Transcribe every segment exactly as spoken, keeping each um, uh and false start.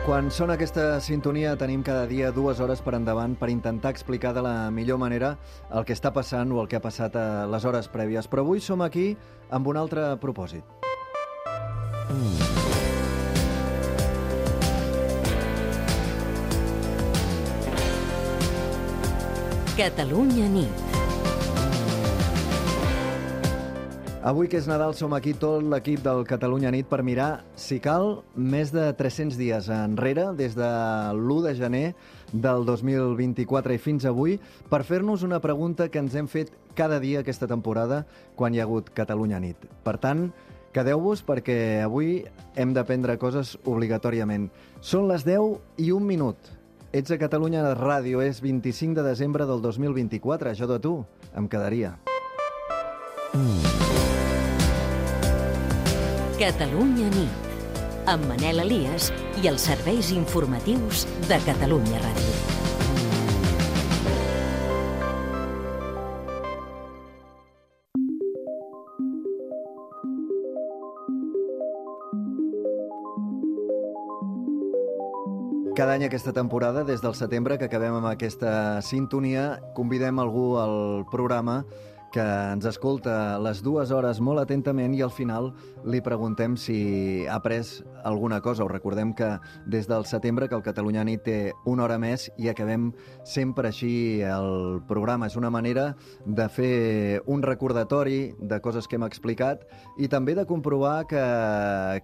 Quan sona aquesta sintonia tenim cada dia dues hores per endavant per intentar explicar de la millor manera el que està passant o el que ha passat a les hores prèvies. Però avui som aquí amb un altre propòsit. Catalunya nit. Avui que és Nadal som aquí tot l'equip del Catalunya nit per mirar, si cal, més de tres-cents dies enrere, des de l'u de gener del dos mil vint-i-quatre i fins avui, per fer-nos una pregunta que ens hem fet cada dia aquesta temporada quan hi ha hagut Catalunya nit. Per tant, quedeu-vos perquè avui hem d'aprendre coses obligatòriament. Són les deu i un minut. Ets a Catalunya Ràdio, és vint-i-cinc de desembre del dos mil vint-i-quatre. Jo de tu em quedaria. Catalunya nit, amb Manel Elias i els serveis informatius de Catalunya Ràdio. Cada any aquesta temporada, des del setembre, que acabem amb aquesta sintonia, convidem algú al programa que ens escolta les dues hores molt atentament i al final li preguntem si ha après alguna cosa. Us recordem que des del setembre que el Catalunya nit té una hora més i acabem sempre així el programa. És una manera de fer un recordatori de coses que hem explicat i també de comprovar que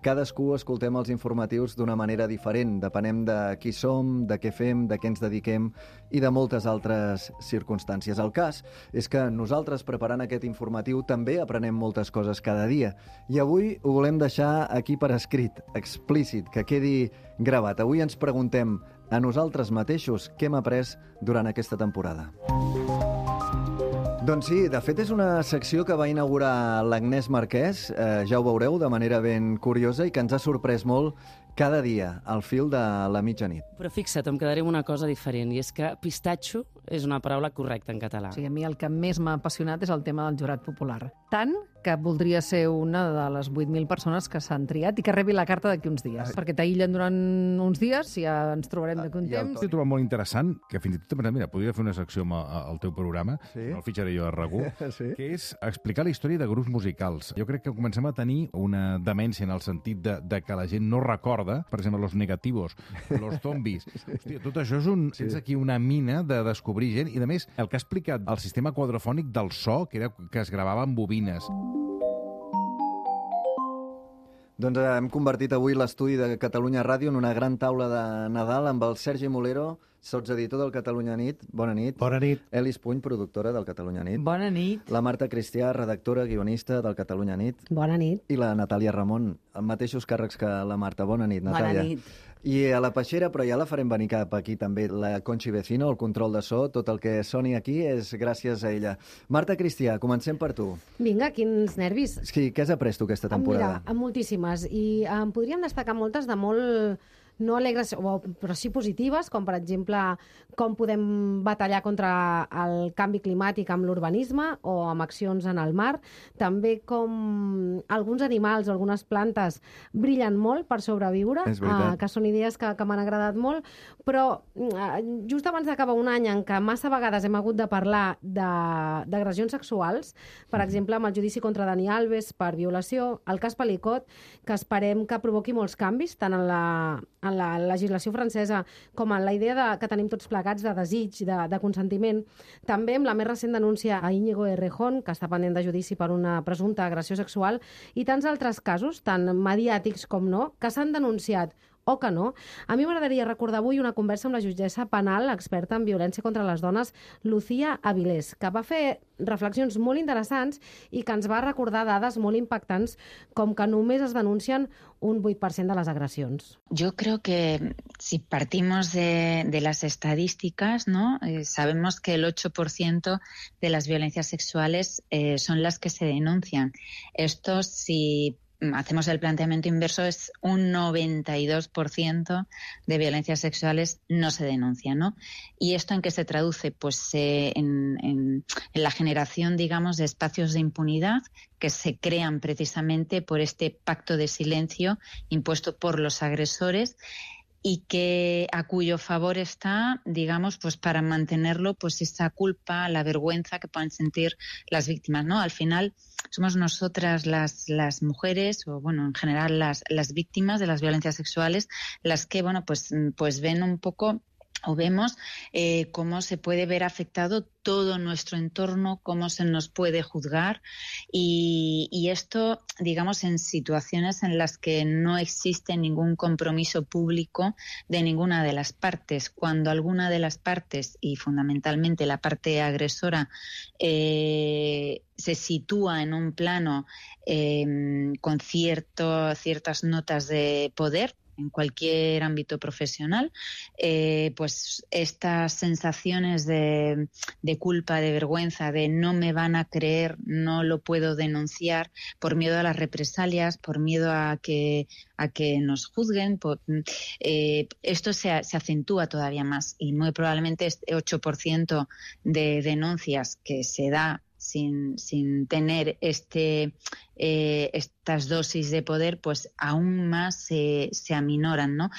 cadascú escoltem els informatius d'una manera diferent. Depenem de qui som, de què fem, de què ens dediquem i de moltes altres circumstàncies. El cas és que nosaltres preparant aquest informatiu també aprenem moltes coses cada dia. I avui ho volem deixar aquí per escrit, explícit, que quedi gravat. Avui ens preguntem a nosaltres mateixos què hem après durant aquesta temporada. Doncs sí, de fet és una secció que va inaugurar l'Agnès Marquès, eh, ja ho veureu, de manera ben curiosa i que ens ha sorprès molt cada dia, al fil de la mitjanit. Però fixa't, em quedaré amb una cosa diferent, i és que pistatxo és una paraula correcta en català. Sí, a mi el que més m'ha apassionat és el tema del jurat popular. Tant que voldria ser una de les vuit mil persones que s'han triat i que rebi la carta d'aquí uns dies. Perquè t'aïllen durant uns dies i ja ens trobarem d'aquí un temps. He trobat molt interessant, que fins i tot, mira, podria fer una secció al teu programa, sí? No el fitxaré jo a RAC1, sí? Que és explicar la història de grups musicals. Jo crec que comencem a tenir una demència en el sentit de, de que la gent no recorda, per exemple, los negativos, los zombis. Hòstia, tot això és un, sí. Tens aquí una mina de descobrir gent, i a més, el que ha explicat el sistema quadrofònic del so, que era que es gravava amb bobines. Doncs hem convertit avui l'estudi de Catalunya Ràdio en una gran taula de Nadal amb el Sergi Molero, sotseditor del Catalunya nit. Bona nit. Bona nit. Elis Puny, productora del Catalunya nit. Bona nit. La Marta Cristià, redactora, guionista del Catalunya nit. Bona nit. I la Natàlia Ramon, amb mateixos càrrecs que la Marta. Bona nit, Natàlia. Bona nit. I a la peixera, però ja la farem venir cap aquí també, la Conchi Vecino, el control de so, tot el que soni aquí és gràcies a ella. Marta Cristià, comencem per tu. Vinga, quins nervis. Sí, què has après tu aquesta temporada? Mira, moltíssimes, i en podríem destacar moltes de molt no alegres, però sí positives, com per exemple com podem batallar contra el canvi climàtic amb l'urbanisme o amb accions en el mar. També com alguns animals o algunes plantes brillen molt per sobreviure, eh, que són idees que, que m'han agradat molt, però eh, just abans d'acabar un any en què massa vegades hem hagut de parlar d'agressions sexuals, per exemple, amb el judici contra Dani Alves per violació, el cas Pelicot, que esperem que provoqui molts canvis, tant en la en la legislació francesa com en la idea de, que tenim tots plegats de desig, de, de consentiment. També amb la més recent denúncia a Íñigo Errejón, que està pendent de judici per una presumpta agressió sexual, i tants altres casos, tant mediàtics com no, que s'han denunciat o que no. A mi m'agradaria recordar avui una conversa amb la jutgessa penal experta en violència contra les dones, Lucía Avilés, que va fer reflexions molt interessants i que ens va recordar dades molt impactants, com que només es denuncien un vuit per cent de les agressions. Yo creo que si partimos de, de las estadísticas, ¿no? Eh, sabemos que el ocho por ciento de las violencias sexuales eh, son las que se denuncian. Esto, si hacemos el planteamiento inverso, es un noventa y dos por ciento de violencias sexuales no se denuncian, ¿no? ¿Y esto en qué se traduce? Pues eh, en, en, en la generación, digamos, de espacios de impunidad que se crean precisamente por este pacto de silencio impuesto por los agresores y que a cuyo favor está, digamos, pues para mantenerlo, pues esa culpa, la vergüenza que pueden sentir las víctimas, ¿no? Al final somos nosotras las, las mujeres, o bueno, en general las, las víctimas de las violencias sexuales, las que, bueno, pues, pues ven un poco o vemos eh, cómo se puede ver afectado todo nuestro entorno, cómo se nos puede juzgar y, y esto, digamos, en situaciones en las que no existe ningún compromiso público de ninguna de las partes. Cuando alguna de las partes, y fundamentalmente la parte agresora, eh, se sitúa en un plano eh, con cierto, ciertas notas de poder, en cualquier ámbito profesional, eh, pues estas sensaciones de, de culpa, de vergüenza, de no me van a creer, no lo puedo denunciar, por miedo a las represalias, por miedo a que, a que nos juzguen, por, eh, esto se, se acentúa todavía más y muy probablemente este ocho por ciento de denuncias que se da sin, sin tener este, eh, estas dosis de poder, pues aún más se, se aminoran, ¿no?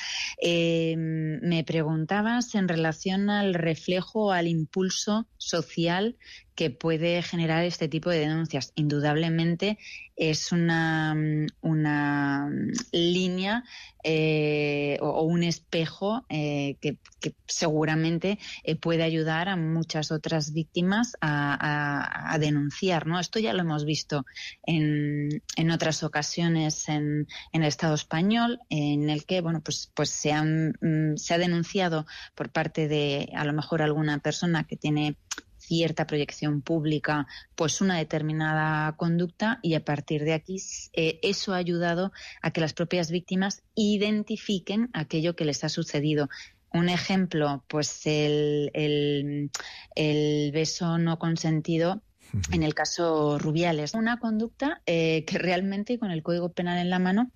Eh, me preguntabas en relación al reflejo, al impulso social que puede generar este tipo de denuncias. Indudablemente es una, una línea eh, o, o un espejo eh, que, que seguramente eh, puede ayudar a muchas otras víctimas a, a, a denunciar, ¿no? Esto ya lo hemos visto en, en otras ocasiones en, en el Estado español, en el que, bueno, pues, pues se, han, se ha denunciado por parte de, a lo mejor, alguna persona que tiene cierta proyección pública, pues una determinada conducta y a partir de aquí eh, eso ha ayudado a que las propias víctimas identifiquen aquello que les ha sucedido. Un ejemplo, pues el, el, el beso no consentido en el caso Rubiales. Una conducta eh, que realmente con el Código Penal en la mano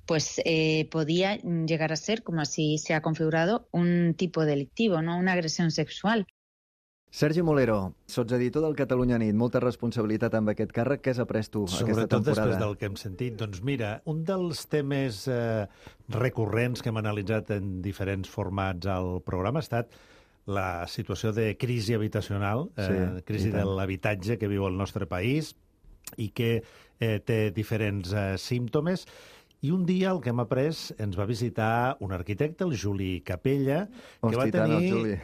pues eh, podía llegar a ser, como así se ha configurado, un tipo delictivo, ¿no? Una agresión sexual. Sergi Molero, sotseditor del Catalunya Nit, molta responsabilitat amb aquest càrrec. Què has après tu aquesta temporada? Sobretot després del que hem sentit. Doncs mira, un dels temes eh, recurrents que hem analitzat en diferents formats al programa ha estat la situació de crisi habitacional, eh, sí, crisi de l'habitatge que viu el nostre país i que eh, té diferents eh, símptomes. I un dia el que hem après ens va visitar un arquitecte, el Juli Capella, que va tenir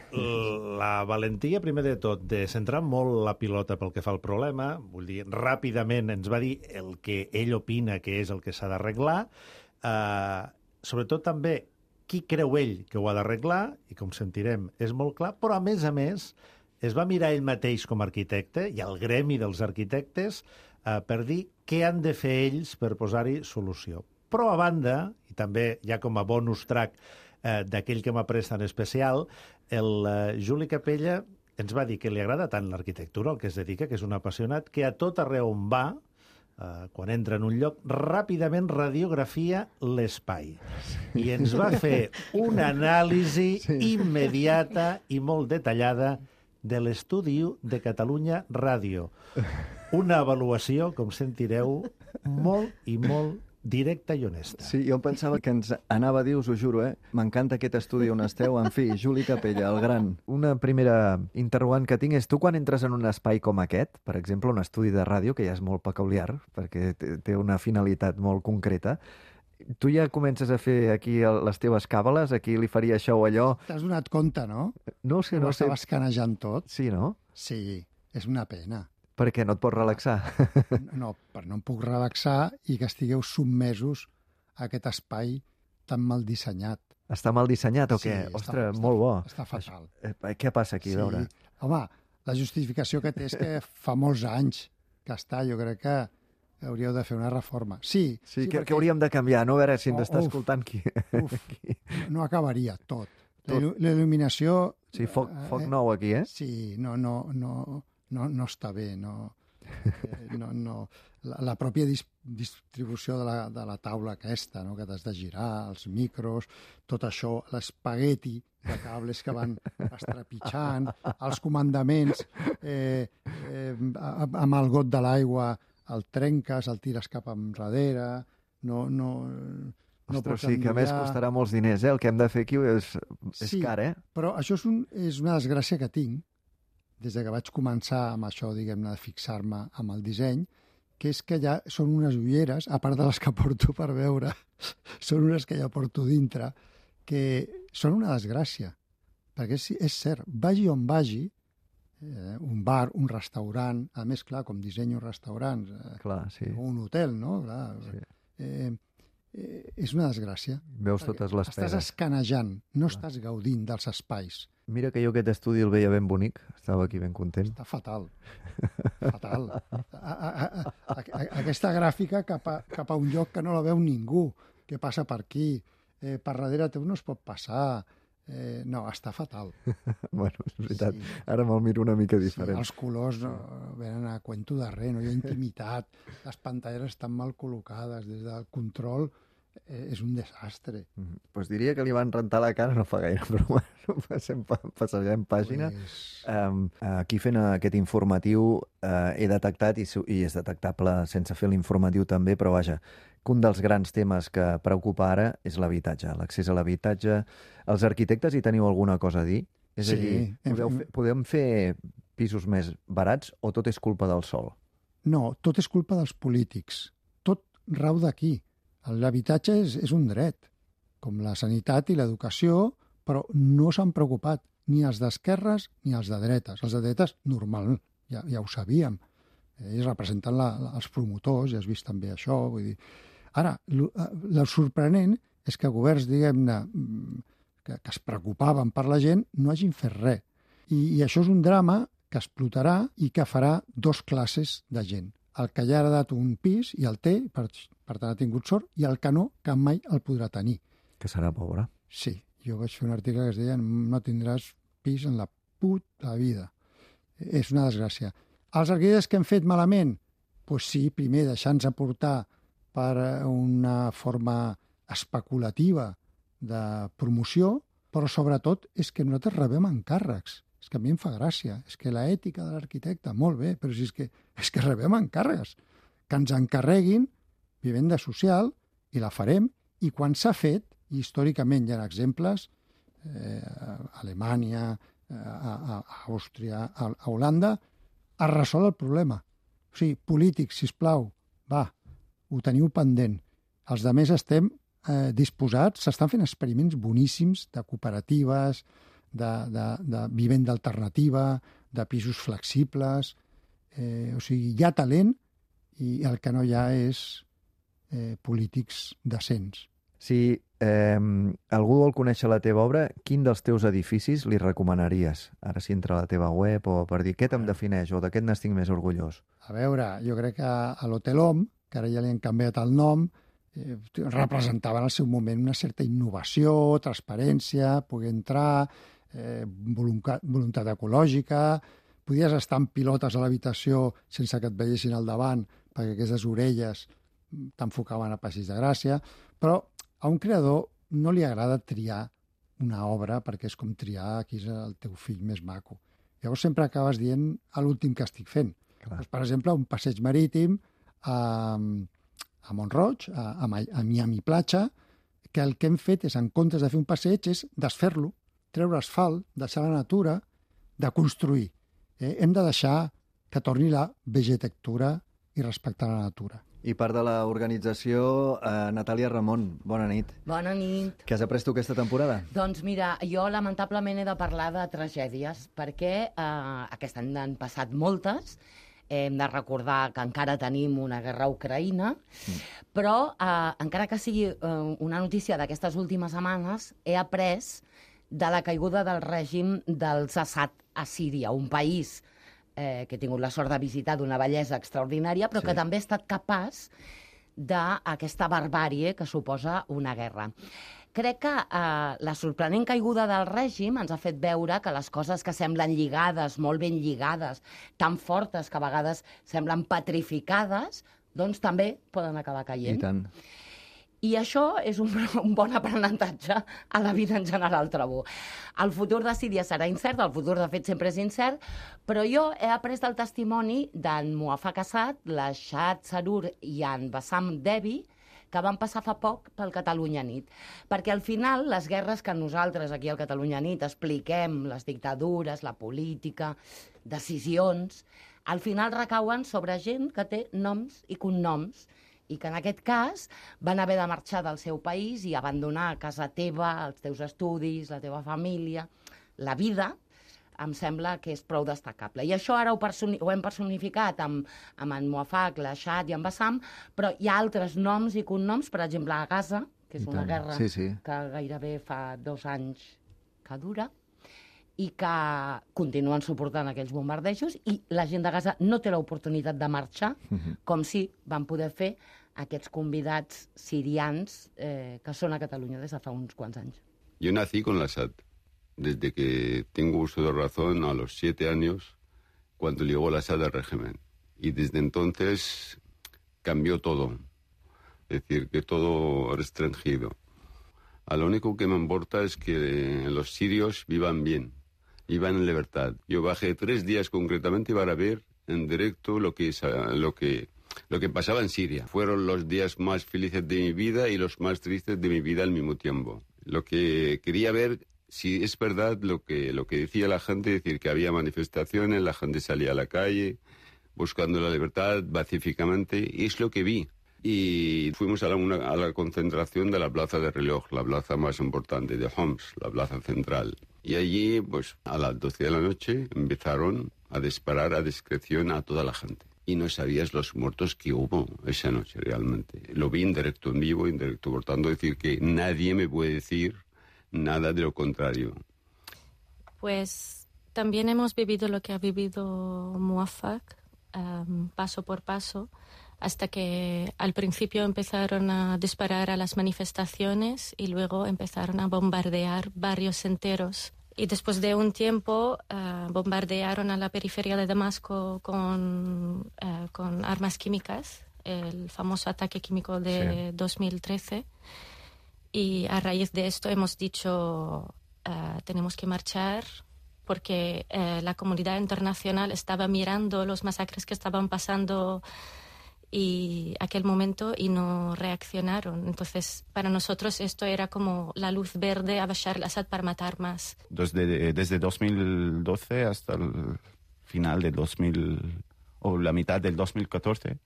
la valentia, primer de tot, de centrar molt la pilota pel que fa al problema. Vull dir, ràpidament ens va dir el que ell opina que és el que s'ha d'arreglar. Eh, sobretot també qui creu ell que ho ha d'arreglar, i com sentirem és molt clar, però a més a més es va mirar ell mateix com a arquitecte i al gremi dels arquitectes eh, per dir què han de fer ells per posar-hi solució. Però, a banda, i també ja com a bonus track eh, d'aquell que m'ha pres tan especial, el eh, Juli Capella ens va dir que li agrada tant l'arquitectura, el que es dedica, que és un apassionat, que a tot arreu on va, eh, quan entra en un lloc, ràpidament radiografia l'espai. I ens va fer una anàlisi sí. immediata i molt detallada de l'estudi de Catalunya Ràdio. Una avaluació, com sentireu, molt i molt directa i honesta. Sí, jo em pensava que ens anava a dir, us ho juro, eh? M'encanta aquest estudi on esteu. En fi, Juli Capella, el gran. Una primera interrogant que tinc és tu quan entres en un espai com aquest, per exemple, un estudi de ràdio, que ja és molt peculiar, perquè té una finalitat molt concreta, tu ja comences a fer aquí les teves càbales, aquí li faria això o allò... T'has donat compte, no? No sé, no sé. Ho estaves canejant tot. Sí, no? Sí, és una pena. Per què? No et pots relaxar? No, però no em puc relaxar i que estigueu submesos a aquest espai tan mal dissenyat. Està mal dissenyat o què? Sí, Ostres, està, molt bo. Està fatal. Eh, què passa aquí, sí. a veure? Home, la justificació que té és que fa molts anys que està. Jo crec que hauríeu de fer una reforma. Sí. Sí, sí que, perquè... que hauríem de canviar, no? A veure si ens oh, està uf, escoltant qui... Uf, no acabaria tot. tot. La il·luminació... Sí, foc, foc eh, nou aquí, eh? Sí, no, no, no, no, no està bé, no... Eh, no, no. La, la pròpia dis, distribució de la, de la taula aquesta, no? Que t'has de girar, els micros, tot això, l'espagueti de cables que van estrepitjant, els comandaments, eh, eh, amb el got de l'aigua el trenques, el tires cap enrere, no, no, no Ostres, pots sí, que a més enviar... costarà molts diners, eh? El que hem de fer aquí és, és Sí, car, eh? però això és, un, és una desgràcia que tinc des de que vaig començar amb això, diguem-ne, de fixar-me amb el disseny, que és que ja són unes ulleres, a part de les que porto per veure, són unes que ja porto dintre, que són una desgràcia. Perquè és, és cert, vagi on vagi, eh, un bar, un restaurant, a més, clar, com dissenyo restaurants, eh, Clar, sí. o un hotel, no? Clar, Sí. eh, eh, és una desgràcia. Veus totes les Estàs pegues. escanejant, no estàs gaudint dels espais. Mira que jo aquest estudi el veia ben bonic, estava aquí ben content. Està fatal. Fatal. A, a, a, a, a, aquesta gràfica cap a, cap a un lloc que no la veu ningú, que passa per aquí, eh, per darrere teu no es pot passar. Eh, no, està fatal. Bueno, és veritat, Sí. ara me'l miro una mica diferent. Sí, els colors no, venen a cuento de res, no hi ha intimitat, les pantalles estan mal col·locades, des del control eh, és un desastre. Mm, Pues diria que li van rentar la cara no fa gaire, però bueno, passem, pa- passarem pàgina. Pues, Um, aquí fent aquest informatiu uh, he detectat, i, su- i és detectable sense fer l'informatiu també, però vaja, que un dels grans temes que preocupa ara és l'habitatge, l'accés a l'habitatge. Els arquitectes hi teniu alguna cosa a dir? És Sí, a dir, hem- podeu fer, podem fer pisos més barats o tot és culpa del sol? No, tot és culpa dels polítics. Tot rau d'aquí. L'habitatge és, és un dret, com la sanitat i l'educació, però no s'han preocupat ni els d'esquerres ni els de dretes. Els de dretes, normal, ja, ja ho sabíem. Ells representen la, la, els promotors, ja has vist també això. Vull dir. Ara, el sorprenent és que governs, diguem-ne, que, que es preocupaven per la gent, no hagin fet res. I, I això és un drama que explotarà i que farà dos classes de gent. El que ja ha heredat un pis i el té, per, per tant ha tingut sort, i el que no, que mai el podrà tenir. Que serà pobre. Sí, jo vaig fer un article que es deia no tindràs pis en la puta vida. És una desgràcia. Els arquitectes que hem fet malament? Doncs pues sí, primer deixar-nos aportar per una forma especulativa de promoció, però sobretot és que nosaltres rebem encàrrecs. És que a mi em fa gràcia. És que l'ètica de l'arquitecte, molt bé, però si és que, és que rebem encàrrecs. Que ens encarreguin vivenda social i la farem, i quan s'ha fet, i històricament hi ha exemples, eh, a Alemanya, a, a, a Àustria, a, a Holanda, es resol el problema. O sigui, polítics, sisplau, va, ho teniu pendent. Els de més estem eh, disposats, s'estan fent experiments boníssims de cooperatives, de, de, de vivenda alternativa, de pisos flexibles. Eh, o sigui, hi ha talent i el que no hi ha és eh, polítics decents. Si eh, algú vol conèixer la teva obra, quin dels teus edificis li recomanaries? Ara si entra a la teva web o per dir què te'm defineix o d'aquest n'estic més orgullós. A veure, jo crec que a l'Hotel Hom, que ara ja li han canviat el nom, eh, representava en el seu moment una certa innovació, transparència, poder entrar, eh, voluntat, voluntat ecològica, podies estar en pilotes a l'habitació sense que et veiessin al davant, perquè aquestes orelles t'enfocaven a Passeig de Gràcia, però a un creador no li agrada triar una obra perquè és com triar qui és el teu fill més maco. Llavors sempre acabes dient a l'últim que estic fent. Doncs, per exemple, un passeig marítim a, a Mont-roig, a, a, a Miami Platja, que el que hem fet és, en comptes de fer un passeig, és desfer-lo, treure asfalt, deixar la natura, de construir. Eh? Hem de deixar que torni la vegetectura i respectar la natura. I part de l'organització, eh, Natàlia Ramon, bona nit. Bona nit. Què has après tu aquesta temporada? Doncs mira, jo lamentablement he de parlar de tragèdies, perquè eh, aquest any n'han passat moltes. Hem de recordar que encara tenim una guerra a Ucraïna, mm. però eh, encara que sigui eh, una notícia d'aquestes últimes setmanes, he après de la caiguda del règim dels Assad a Síria, un país Eh, que he tingut la sort de visitar d'una bellesa extraordinària, però sí. que també ha estat capaç d'aquesta barbàrie que suposa una guerra. Crec que eh, la sorprenent caiguda del règim ens ha fet veure que les coses que semblen lligades, molt ben lligades, tan fortes que a vegades semblen petrificades, doncs també poden acabar caient. I tant. I això és un, un bon aprenentatge a la vida en general, trobo. El futur de Síria serà incert, el futur de fet sempre és incert, però jo he après del testimoni d'en Muaffaq Assad, la Shahad Sarur i en Bassam Debi, que van passar fa poc pel Catalunya Nit. Perquè al final les guerres que nosaltres aquí al Catalunya Nit expliquem, les dictadures, la política, decisions, al final recauen sobre gent que té noms i cognoms i que en aquest cas van haver de marxar del seu país i abandonar casa teva, els teus estudis, la teva família, la vida, em sembla que és prou destacable. I això ara ho, personi ho hem personificat amb, amb en Muafak, la Shad i en Bassam, però hi ha altres noms i cognoms, per exemple, a Gaza, que és una guerra sí, sí. que gairebé fa dos anys que dura, i que continuen suportant aquells bombardejos, i la gent de Gaza no té l'oportunitat de marxar, uh-huh. com si van poder fer aquests convidats sirians eh, que són a Catalunya des de fa uns quants anys. Yo nací con la S A D. Desde que tengo uso de razón, a los siete años, cuando llegó la S A D al régimen. Y desde entonces cambió todo. Es decir, que todo restringido. A lo único que me importa es que los sirios vivan bien, vivan en libertad. Yo bajé tres días concretamente para ver en directo lo que, lo que, lo que pasaba en Siria. Fueron los días más felices de mi vida y los más tristes de mi vida al mismo tiempo. Lo que quería ver, si es verdad lo que, lo que decía la gente, es decir, que había manifestaciones, la gente salía a la calle buscando la libertad pacíficamente, y es lo que vi. Y fuimos a la, una, a la concentración de la plaza de reloj, la plaza más importante de Homs, la plaza central. Y allí, pues a las doce de la noche, empezaron a disparar a discreción a toda la gente. Y no sabías los muertos que hubo esa noche realmente. Lo vi en directo, en vivo, en directo. Por tanto, decir que nadie me puede decir nada de lo contrario. Pues también hemos vivido lo que ha vivido Muafak, um, paso por paso, hasta que al principio empezaron a disparar a las manifestaciones y luego empezaron a bombardear barrios enteros. Y después de un tiempo uh, bombardearon a la periferia de Damasco con, uh, con armas químicas, el famoso ataque químico de sí. dos mil trece. Y a raíz de esto hemos dicho, uh, tenemos que marchar porque uh, la comunidad internacional estaba mirando los masacres que estaban pasando y aquel momento y no reaccionaron. Entonces, para nosotros esto era como la luz verde a Bashar al-Assad para matar más. Desde, desde dos mil doce hasta el final de dos mil, o la mitad del dos mil catorce,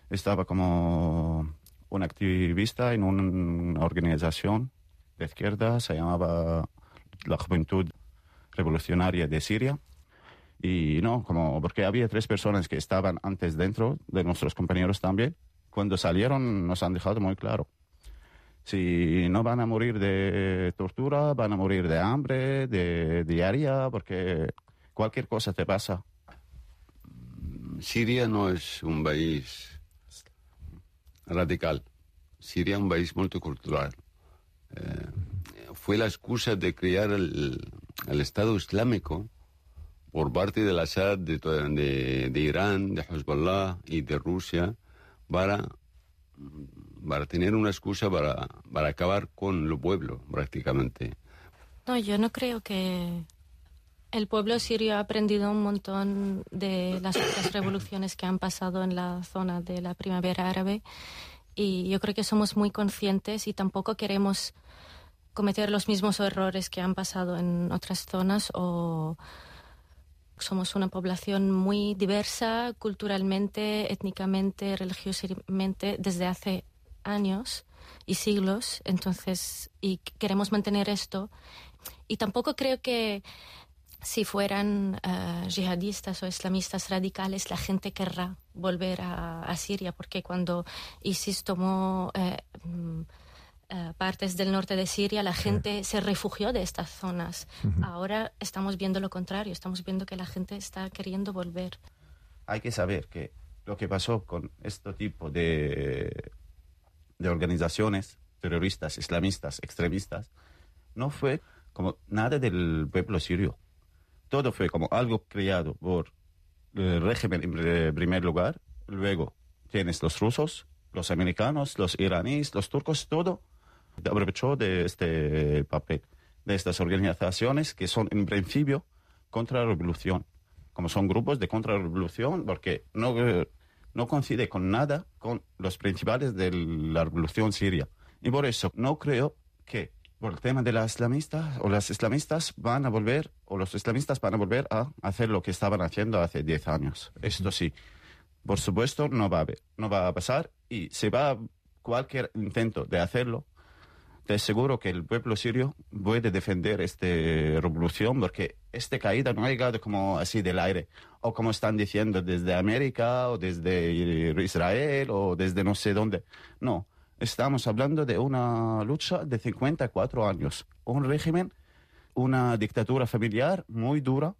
estaba como un activista en una organización de izquierda, se llamaba la Juventud Revolucionaria de Siria. Y no, como porque había tres personas que estaban antes dentro, de nuestros compañeros también. Cuando salieron nos han dejado muy claro. Si no van a morir de tortura, van a morir de hambre, de diaria, porque cualquier cosa te pasa. Siria no es un país radical. Siria es un país multicultural. Eh, fue la excusa de crear el, el Estado Islámico por parte de la S A D, de, de, de Irán, de Hezbollah y de Rusia, para, para tener una excusa para, para acabar con el pueblo, prácticamente. No, yo no creo que el pueblo sirio ha aprendido un montón de las otras revoluciones que han pasado en la zona de la primavera árabe, y yo creo que somos muy conscientes y tampoco queremos cometer los mismos errores que han pasado en otras zonas. O somos una población muy diversa culturalmente, étnicamente, religiosamente desde hace años y siglos, entonces, y queremos mantener esto. Y tampoco creo que si fueran uh, yihadistas o islamistas radicales, la gente querrá volver a, a Siria, porque cuando ISIS tomó eh, Uh, partes del norte de Siria, la gente sí. se refugió de estas zonas. Uh-huh. Ahora estamos viendo lo contrario, estamos viendo que la gente está queriendo volver. Hay que saber que lo que pasó con este tipo de, de organizaciones terroristas, islamistas, extremistas, no fue como nada del pueblo sirio. Todo fue como algo creado por el régimen en primer lugar, luego tienes los rusos, los americanos, los iraníes, los turcos, todo aprovechó de este papel, de estas organizaciones que son en principio contra la revolución, como son grupos de contrarrevolución, porque no no coincide con nada con los principales de la revolución siria. Y por eso no creo que por el tema de las islamistas o las islamistas van a volver, o los islamistas van a volver a hacer lo que estaban haciendo hace diez años. Esto sí, por supuesto, no va a haber, no va a pasar, y si va cualquier intento de hacerlo, te aseguro que el pueblo sirio puede defender esta revolución, porque esta caída no ha llegado como así del aire, o como están diciendo desde América, o desde Israel, o desde no sé dónde. No. Estamos hablando de una lucha de cincuenta y cuatro años. Un régimen, una dictadura familiar muy dura.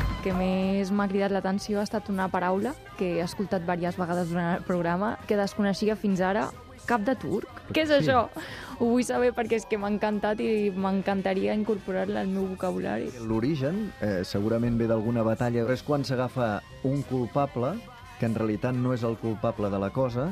El que més m'ha cridat l'atenció ha estat una paraula que he escoltat diverses vegades durant el programa, que desconeixia fins ara, cap de turc. Què és això? Ho vull saber perquè és que m'ha encantat i m'encantaria incorporar-la al meu vocabulari. L'origen eh, segurament ve d'alguna batalla. És quan s'agafa un culpable, que en realitat no és el culpable de la cosa,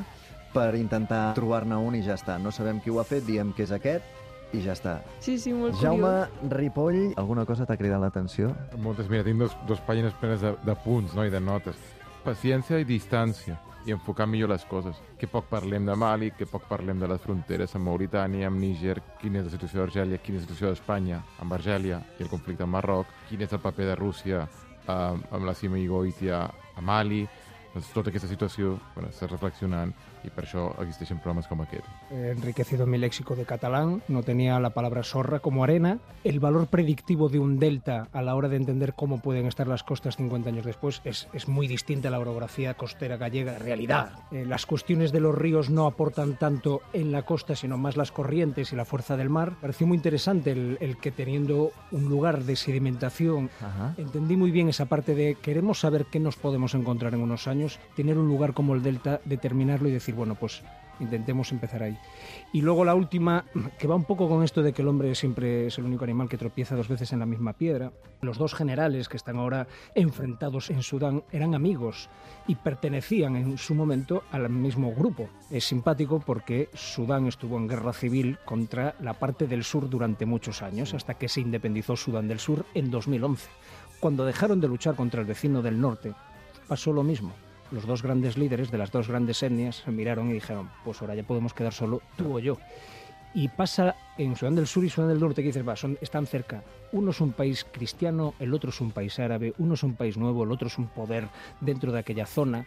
per intentar trobar-ne un i ja està. No sabem qui ho ha fet, diem que és aquest i ja està. Sí, sí, molt Jaume curiós. Ripoll, alguna cosa t'ha cridat l'atenció? Moltes, mira, tinc dos, dos pàgines plenes de, de punts, no?, i de notes. Paciència i distància, i enfocar millor les coses. Que poc parlem de Mali, que poc parlem de les fronteres amb Mauritània, amb Níger, quina és la situació d'Argèlia, quina és la situació d'Espanya amb Argèlia i el conflicte amb Marroc, quin és el paper de Rússia eh, amb la Sima i Goitia a Mali. Doncs tota aquesta situació bueno, està reflexionant y por eso existeixen programas como aquel. He enriquecido mi léxico de catalán, no tenía la palabra sorra como arena. El valor predictivo de un delta a la hora de entender cómo pueden estar las costas cincuenta años después es, es muy distinta a la orografía costera gallega en realidad. Eh, las cuestiones de los ríos no aportan tanto en la costa, sino más las corrientes y la fuerza del mar. Pareció muy interesante el, el que teniendo un lugar de sedimentación, Ajá. entendí muy bien esa parte de queremos saber qué nos podemos encontrar en unos años, tener un lugar como el delta, determinarlo y decir, bueno, pues intentemos empezar ahí. Y luego la última, que va un poco con esto de que el hombre siempre es el único animal que tropieza dos veces en la misma piedra. Los dos generales que están ahora enfrentados en Sudán eran amigos y pertenecían en su momento al mismo grupo. Es simpático porque Sudán estuvo en guerra civil contra la parte del sur durante muchos años, hasta que se independizó Sudán del Sur en dos mil once. Cuando dejaron de luchar contra el vecino del norte, pasó lo mismo. Los dos grandes líderes de las dos grandes etnias se miraron y dijeron, pues ahora ya podemos quedar solo tú o yo. Y pasa en Sudán del Sur y Sudán del Norte, que dices, va, son, están cerca. Uno es un país cristiano, el otro es un país árabe, uno es un país nuevo, el otro es un poder dentro de aquella zona.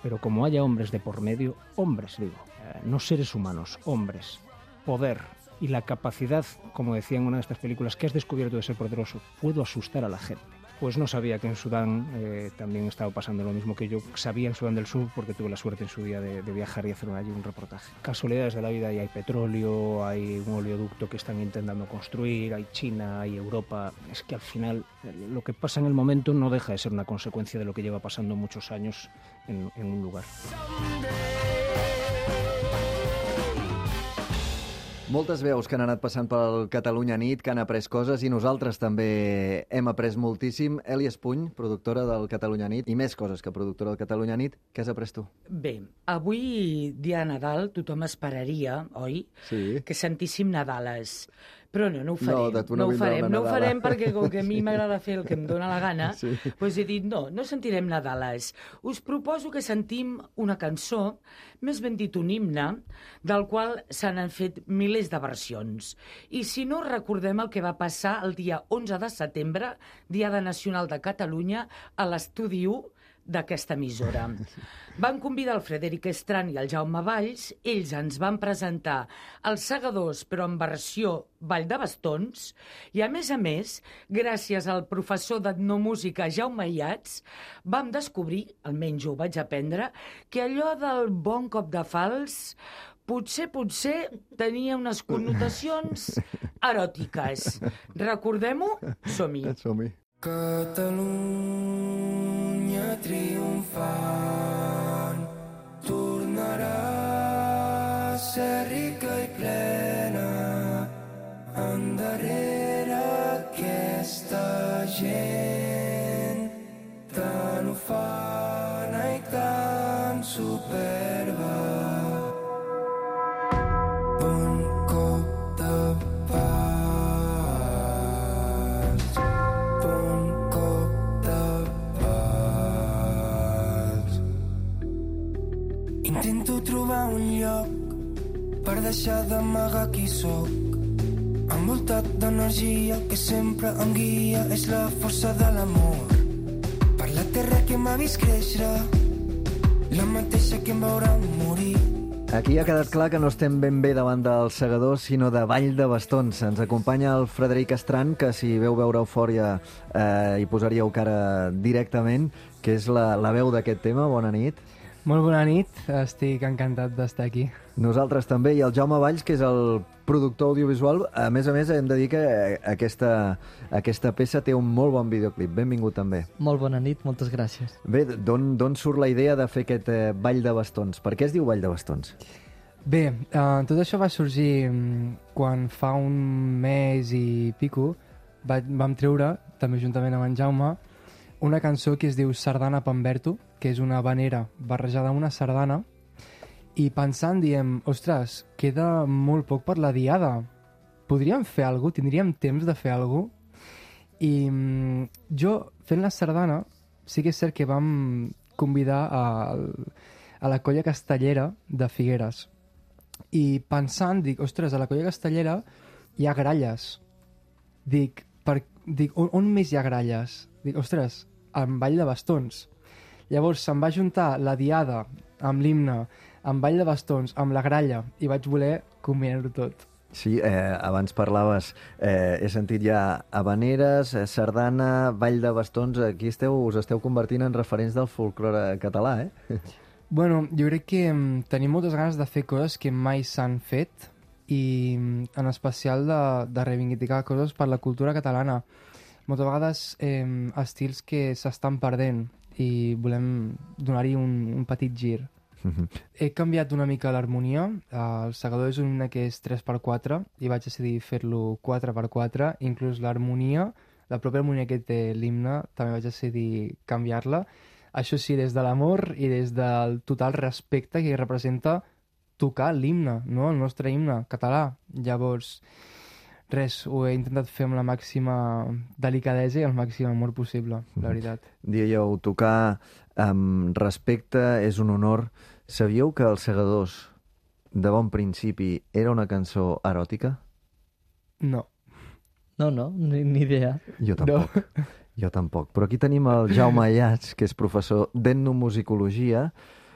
Pero como haya hombres de por medio, hombres, digo, eh, no seres humanos, hombres, poder y la capacidad, como decía en una de estas películas, que has descubierto de ser poderoso, puedo asustar a la gente. Pues no sabía que en Sudán eh, también estaba pasando lo mismo que yo sabía en Sudán del Sur, porque tuve la suerte en su día de, de viajar y hacer allí un reportaje. Casualidades de la vida, y hay petróleo, hay un oleoducto que están intentando construir, hay China, hay Europa. Es que al final lo que pasa en el momento no deja de ser una consecuencia de lo que lleva pasando muchos años en, en un lugar. Moltes veus que han anat passant pel Catalunya Nit, que han après coses, i nosaltres també hem après moltíssim. Eli Espuny, productora del Catalunya Nit, i més coses que productora del Catalunya Nit. Què has après tu? Bé, avui, dia de Nadal, tothom esperaria, oi? Sí. Que sentíssim Nadales. Però no, no ho farem. No, de tu no, no ho vindrà farem, una no ho Nadala. farem perquè com que a mi m'agrada fer el que em dóna la gana, Sí. doncs he dit, no, no sentirem Nadales. Us proposo que sentim una cançó, més ben dit un himne, del qual se n'han fet milers de versions. I si no, recordem el que va passar el dia onze de setembre, Diada Nacional de Catalunya, a l'Estudi u d'aquesta emissora. Van convidar el Frederic Estran i el Jaume Valls, ells ens van presentar els Segadors, però en versió Ball de Bastons, i a més a més, gràcies al professor d'etnomúsica Jaume Iats, vam descobrir, almenys jo ho vaig aprendre, que allò del bon cop de fals potser, potser tenia unes connotacions eròtiques. Recordem-ho? Som-hi. Som-hi. Catalunya triomfant tornarà a ser rica i plena endarrere aquesta gent tan ufana i tan superba. Bon cop de pas, bon cop Intento trobar un lloc per deixar d'amagar qui sóc. Envoltat d'energia que sempre em guia, és la força de l'amor. Per la terra que m'ha vist créixer, la mateixa que em veurà morir. Aquí ha quedat clar que no estem ben bé davant dels segadors, sinó de Vall de Bastons. Ens acompanya el Frederic Estran, que si veu veure Eufòria eh, hi posaríeu cara directament, que és la, la veu d'aquest tema. Bona nit. Molt bona nit, estic encantat d'estar aquí. Nosaltres també, i el Jaume Valls, que és el productor audiovisual. A més a més, hem de dir que aquesta, aquesta peça té un molt bon videoclip. Benvingut també. Molt bona nit, moltes gràcies. Bé, d'on surt la idea de fer aquest eh, Ball de Bastons? Per què es diu Ball de Bastons? Bé, uh, tot això va sorgir quan fa un mes i pico va, vam treure, també juntament amb en Jaume, una cançó que es diu Sardana Pamberto, que és una habanera barrejada amb una sardana, i pensant diem, ostres, queda molt poc per la diada. Podríem fer alguna cosa? Tindríem temps de fer alguna cosa? I mm, jo, fent la sardana, sí que és cert que vam convidar a, a la colla castellera de Figueres. I pensant, dic, ostres, a la colla castellera hi ha gralles. Dic, per, dic on, on més hi ha gralles? Dic, ostres, en Vall de Bastons. Llavors se'm va juntar la diada amb l'himne, amb Vall de Bastons, amb la gralla, i vaig voler combinar-ho tot. Sí, eh, abans parlaves, eh, he sentit ja habaneres, eh, sardana, Vall de Bastons, aquí esteu, us esteu convertint en referents del folklore català, eh? Bueno, jo crec que mm, tenim moltes ganes de fer coses que mai s'han fet i mm, en especial de, de reivindicar coses per la cultura catalana. Moltes vegades eh, estils que s'estan perdent i volem donar-hi un, un petit gir. Mm-hmm. He canviat una mica l'harmonia. El segador és un himne que és tres per quatre i vaig decidir fer-lo quatre per quatre. Inclús l'harmonia, la pròpia harmonia que té l'himne, també vaig decidir canviar-la. Això sí, des de l'amor i des del total respecte que representa tocar l'himne, no? El nostre himne català. Llavors, res, ho he intentat fer amb la màxima delicadesa i el màxim amor possible, la veritat. Dieu, tocar amb respecte és un honor. Sabíeu que Els Segadors, de bon principi, era una cançó eròtica? No. No, no, ni, ni idea. Jo tampoc. No. Jo tampoc. Però aquí tenim el Jaume Ayats, que és professor d'etnomusicologia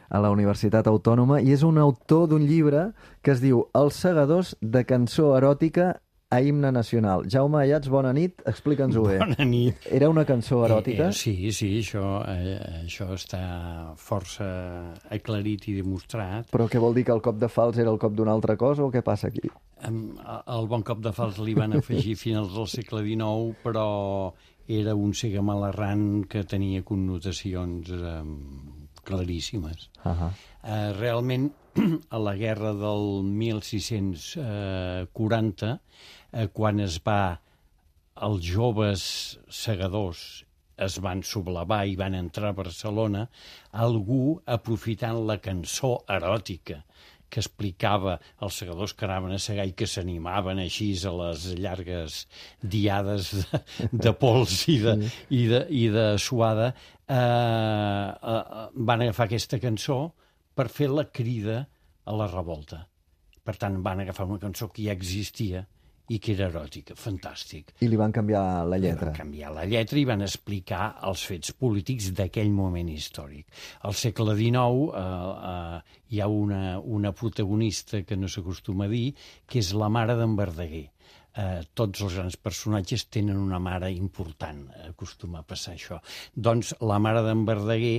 a la Universitat Autònoma i és un autor d'un llibre que es diu Els Segadors de cançó eròtica a himne nacional. Jaume Ayats, bona nit, explica'ns-ho bé. Bona nit. Era una cançó eròtica? Eh, eh, sí, sí, això, eh, això està força aclarit i demostrat. Però què vol dir, que el cop de fals era el cop d'una altra cosa o què passa aquí? El bon cop de fals li van afegir finals del segle dinou, però era un segamalarrant que tenia connotacions eh, claríssimes. Uh-huh. Eh, realment, a la guerra del mil sis-cents quaranta, eh, quan es va, els joves segadors es van sublevar i van entrar a Barcelona, algú, aprofitant la cançó eròtica que explicava els segadors que anaven a segar i que s'animaven així a les llargues diades de, de pols i de, sí. i de, i de suada, eh, eh, van agafar aquesta cançó per fer la crida a la revolta. Per tant, van agafar una cançó que ja existia i que era eròtica, fantàstic. I li van canviar la lletra. I van canviar la lletra i van explicar els fets polítics d'aquell moment històric. Al segle dinou eh, eh, hi ha una, una protagonista que no s'acostuma a dir, que és la mare d'en Verdaguer. Eh, tots els grans personatges tenen una mare important, acostuma a passar això. Doncs la mare d'en Verdaguer,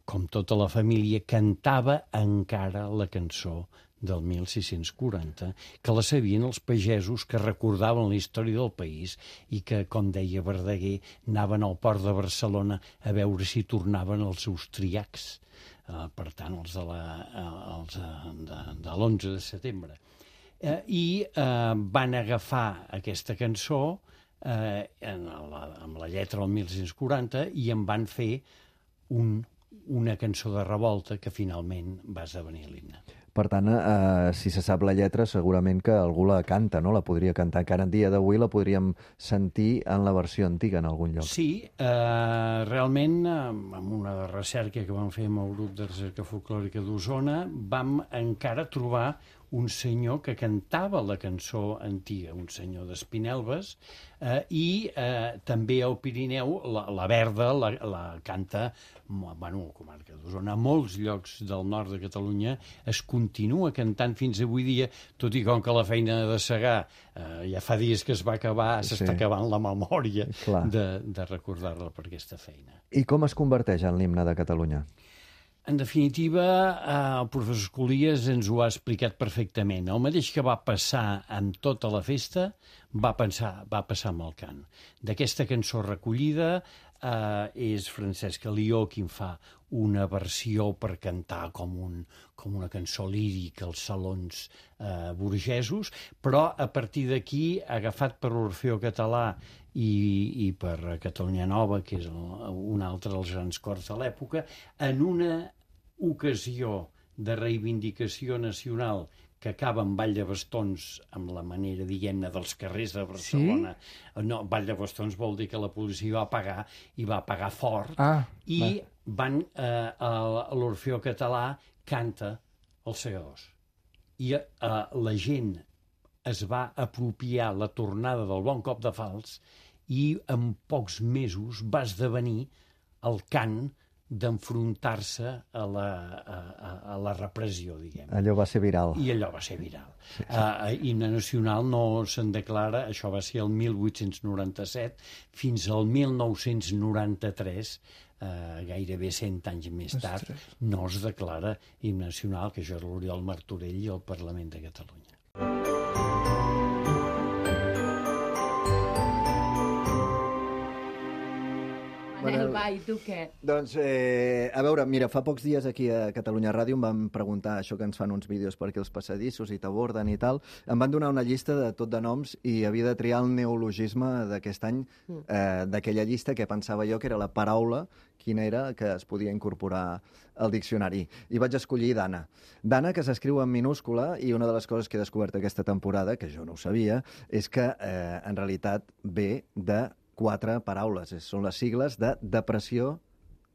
com tota la família, cantava encara la cançó del mil sis-cents quaranta, que la sabien els pagesos que recordaven la història del país i que, com deia Verdaguer, anaven al port de Barcelona a veure si tornaven els seus triacs, eh, per tant, els de la, els de, de l'onze de setembre. Eh, I eh, van agafar aquesta cançó eh, en la, amb la lletra del mil sis-cents quaranta i en van fer un una cançó de revolta que finalment va esdevenir l'himne. Per tant, eh, si se sap la lletra, segurament que algú la canta, no? La podria cantar. Encara en dia d'avui la podríem sentir en la versió antiga en algun lloc. Sí, eh, realment, amb una recerca que vam fer amb el grup de recerca folclòrica d'Osona, vam encara trobar un senyor que cantava la cançó antiga, un senyor d'Espinelves, eh, i eh, també al Pirineu la, la Verda la, la canta, bueno, a la comarca d'Osona, a molts llocs del nord de Catalunya es continua cantant fins avui dia, tot i com que la feina de segar eh, ja fa dies que es va acabar, Sí. s'està acabant la memòria Clar. de, de recordar-la per aquesta feina. I com es converteix en l'himne de Catalunya? En definitiva, eh, el professor Escolies ens ho ha explicat perfectament. El mateix que va passar amb tota la festa va, pensar, va passar amb el cant. D'aquesta cançó recollida eh, és Francesc Alió qui en fa una versió per cantar com, un, com una cançó lírica als salons eh, burgesos, però a partir d'aquí, agafat per l'Orfeó Català i, i per Catalunya Nova, que és el, un altre dels grans cors de l'època, en una ocasió de reivindicació nacional que acaba amb Ball de Bastons, amb la manera, diguem-ne, dels carrers de Barcelona. Sí? No, Ball de Bastons vol dir que la policia va pagar, i va pagar fort, Ah, i va. van, eh, a l'Orfeó Català canta els segadors. I eh, la gent es va apropiar la tornada del Bon Cop de Fals i en pocs mesos va esdevenir el cant d'enfrontar-se a, la, a, a, a la repressió, diguem. Allò va ser viral. I allò va ser viral. Sí, sí. Uh, himne nacional no se'n declara, això va ser el mil vuit-cents noranta-set, fins al mil nou-cents noranta-tres, uh, gairebé cent anys més tard, Ostres. no es declara himne nacional, que això és l'Oriol Martorell i el Parlament de Catalunya. Manel, va, i tu què? Doncs, eh, a veure, mira, fa pocs dies aquí a Catalunya Ràdio em van preguntar això que ens fan uns vídeos per aquí els passadissos i t'aborden i tal. Em van donar una llista de tot de noms i havia de triar el neologisme d'aquest any, eh, d'aquella llista que pensava jo que era la paraula, quina era, que es podia incorporar al diccionari. I vaig escollir Dana. Dana, que s'escriu en minúscula, i una de les coses que he descobert aquesta temporada, que jo no ho sabia, és que eh, en realitat ve de quatre paraules. Són les sigles de depressió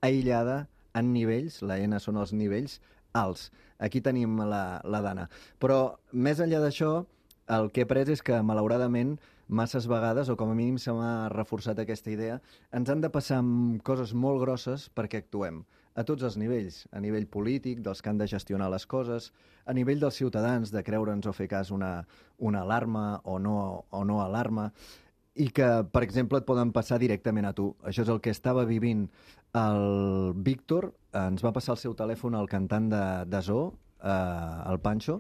aïllada en nivells, la N són els nivells alts. Aquí tenim la, la Dana. Però, més enllà d'això, el que he pres és que, malauradament, masses vegades, o com a mínim se m'ha reforçat aquesta idea, ens han de passar coses molt grosses perquè actuem. A tots els nivells, a nivell polític, dels que han de gestionar les coses, a nivell dels ciutadans, de creure'ns o fer cas una, una alarma o no, o no alarma, i que, per exemple, et poden passar directament a tu. Això és el que estava vivint el Víctor. Ens va passar el seu telèfon al cantant de, de Zoo, eh, el Pancho,